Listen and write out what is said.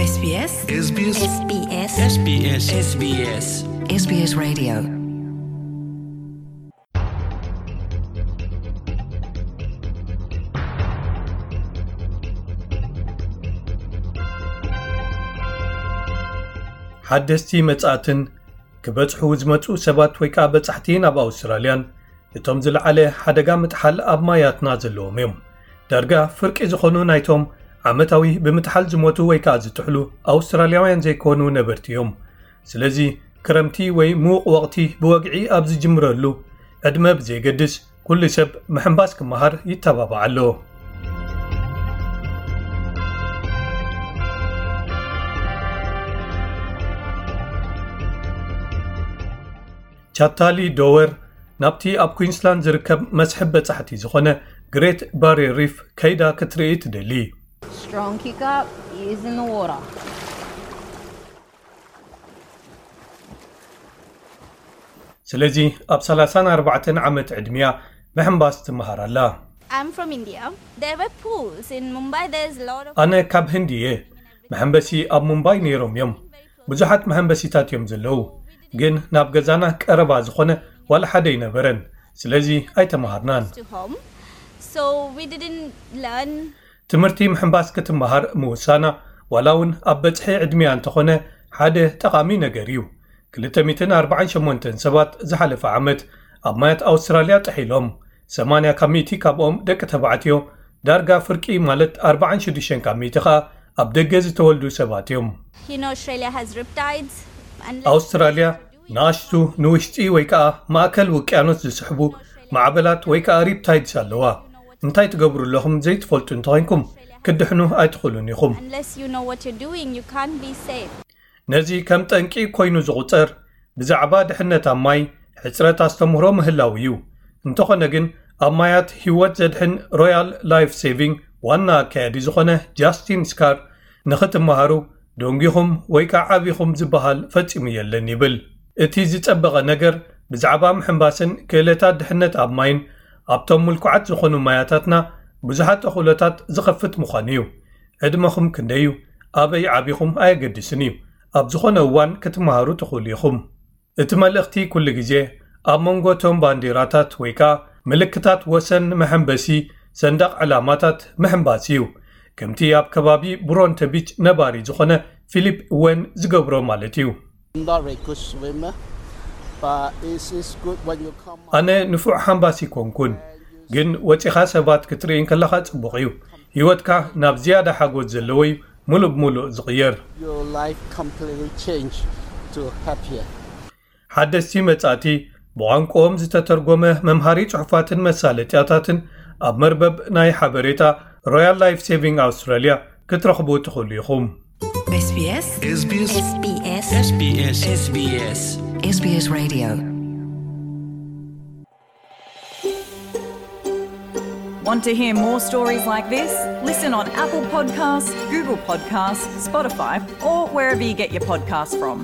SBS SBS SBS SBS SBS SBS Radio. ሓደስቲ መጻእትን ክበጽሑ ዝመጹ ሰባት ወይ ከኣ በጻሕቲ ናብ ኣውስትራልያን እቶም ዝለዓለ ሓደጋ ምጥሓል ኣብ ማያትና ዘለዎም እዮም። ዳርጋ ፍርቂ ዝኾኑ ናይቶም ዓመታዊ ብምጥሓል ዝሞቱ ወይ ከኣ ዝጥሕሉ ኣውስትራልያውያን ዘይኮኑ ነበርቲ እዮም። ስለዚ ክረምቲ ወይ ምዉቕ ወቕቲ ብወግዒ ኣብ ዝጅምረሉ ዕድመ ብዘየገድስ ኩሉ ሰብ ምሕንባስ ክመሃር ይተባባዕ ኣሎ። ቻታሊ ዶወር ናብቲ ኣብ ኩንስላንድ ዝርከብ መስሕብ በጻሕቲ ዝኾነ ግሬት ባሪየር ሪፍ ከይዳ ክትርኢ ትደሊ። Strong kick up is in the water. ስለዚ ኣብ ሰላሳን ኣርባዕተን ዓመት ዕድሚያ ምሕንባስ ትመሃር ኣላ። I'm from India. There were pools in Mumbai. There's a lot of ኣነ ካብ ህንዲ እየ። መሐንበሲ ኣብ ሙምባይ ነይሮም እዮም። ብዙሓት መሐንበሲታት እዮም ዘለዉ፣ ግን ናብ ገዛና ቀረባ ዝኾነ ዋላ ሓደ ኣይነበረን። ስለዚ ኣይተመሃርናን። To home. So we didn't learn ትምህርቲ ምሕንባስ ክትመሃር ምውሳና ዋላ እውን ኣብ በጽሒ ዕድሚያ እንተኾነ ሓደ ጠቓሚ ነገር እዩ። ክልተ ሚእትን ኣርባዓን ሸሞንተን ሰባት ዝሓለፈ ዓመት ኣብ ማያት ኣውስትራልያ ጥሒሎም፣ ሰማንያ ካብ ሚእቲ ካብኦም ደቂ ተባዕትዮ፣ ዳርጋ ፍርቂ ማለት ኣርባዓን ሽዱሽተን ካብ ሚእቲ ከኣ ኣብ ደገ ዝተወልዱ ሰባት እዮም። You know, Australia has riptides. Unless ኣውስትራልያ ንኣሽቱ ንውሽጢ ወይ ከኣ ማእከል ውቅያኖስ ዝስሕቡ ማዕበላት ወይ ከኣ ሪፕታይድስ ኣለዋ። እንታይ ትገብሩ ኣለኹም ዘይትፈልጡ እንተኾይንኩም፣ ክትድሕኑ ኣይትኽእሉን ኢኹም። Unless you know what you're doing, you can't be safe. ነዚ ከም ጠንቂ ኮይኑ ዝቑጸር ብዛዕባ ድሕነት ኣብ ማይ ሕጽረት ኣስተምህሮ ምህላው እዩ። እንተኾነ ግን ኣብ ማያት ህይወት ዘድሕን ሮያል ላይፍ ሴቪንግ ዋና ኣካያዲ ዝኾነ ጃስቲን ስካር፣ ንኽትመሃሩ ደንጊኹም ወይ ከኣ ዓቢኹም ዝበሃል ፈጺሙ የለን ይብል። እቲ ዝጸበቐ ነገር ብዛዕባ ምሕንባስን ክእለታት ድሕነት ኣብ ማይን ኣብቶም ምልኩዓት ዝኾኑ ማያታትና ብዙሓት ተኽእሎታት ዝኸፍት ምዃኑ እዩ። ዕድመኹም ክንደይ እዩ? ኣበይ ዓቢኹም ኣየገድስን እዩ። ኣብ ዝኾነ እዋን ክትመሃሩ ትኽእሉ ኢኹም። እቲ መልእኽቲ ኩሉ ግዜ ኣብ መንጎ እቶም ባንዲራታት ወይ ከኣ ምልክታት ወሰን መሐንበሲ ሰንደቕ ዕላማታት ምሕንባስ እዩ። ከምቲ ኣብ ከባቢ ብሮንተ ቢች ነባሪ ዝኾነ ፊሊፕ ወን ዝገብሮ ማለት እዩ። I'm not a good swimmer, but it's, it's good when you come ኣነ ንፉዕ ሓንባሲ ኮንኩን፣ ግን ወጺኻ ሰባት ክትርኢ እንከለኻ ጽቡቕ እዩ። ህይወትካ ናብ ዝያዳ ሓጎስ ዘለዎ እዩ ምሉእ ብምሉእ ዝቕየር። Your life completely change to happier. ሓደስቲ መጻእቲ ብቋንቋኦም ዝተተርጎመ መምሃሪ ጽሑፋትን መሳለጥያታትን ኣብ መርበብ ናይ ሓበሬታ ሮያል ላይፍ ሴቪንግ ኣውስትራልያ ክትረኽቡ ትኽእሉ ኢኹም። SBS SBS SBS SBS SBS SBS Radio. Want to hear more stories like this? Listen on Apple Podcasts, Google Podcasts, Spotify, or wherever you get your podcasts from.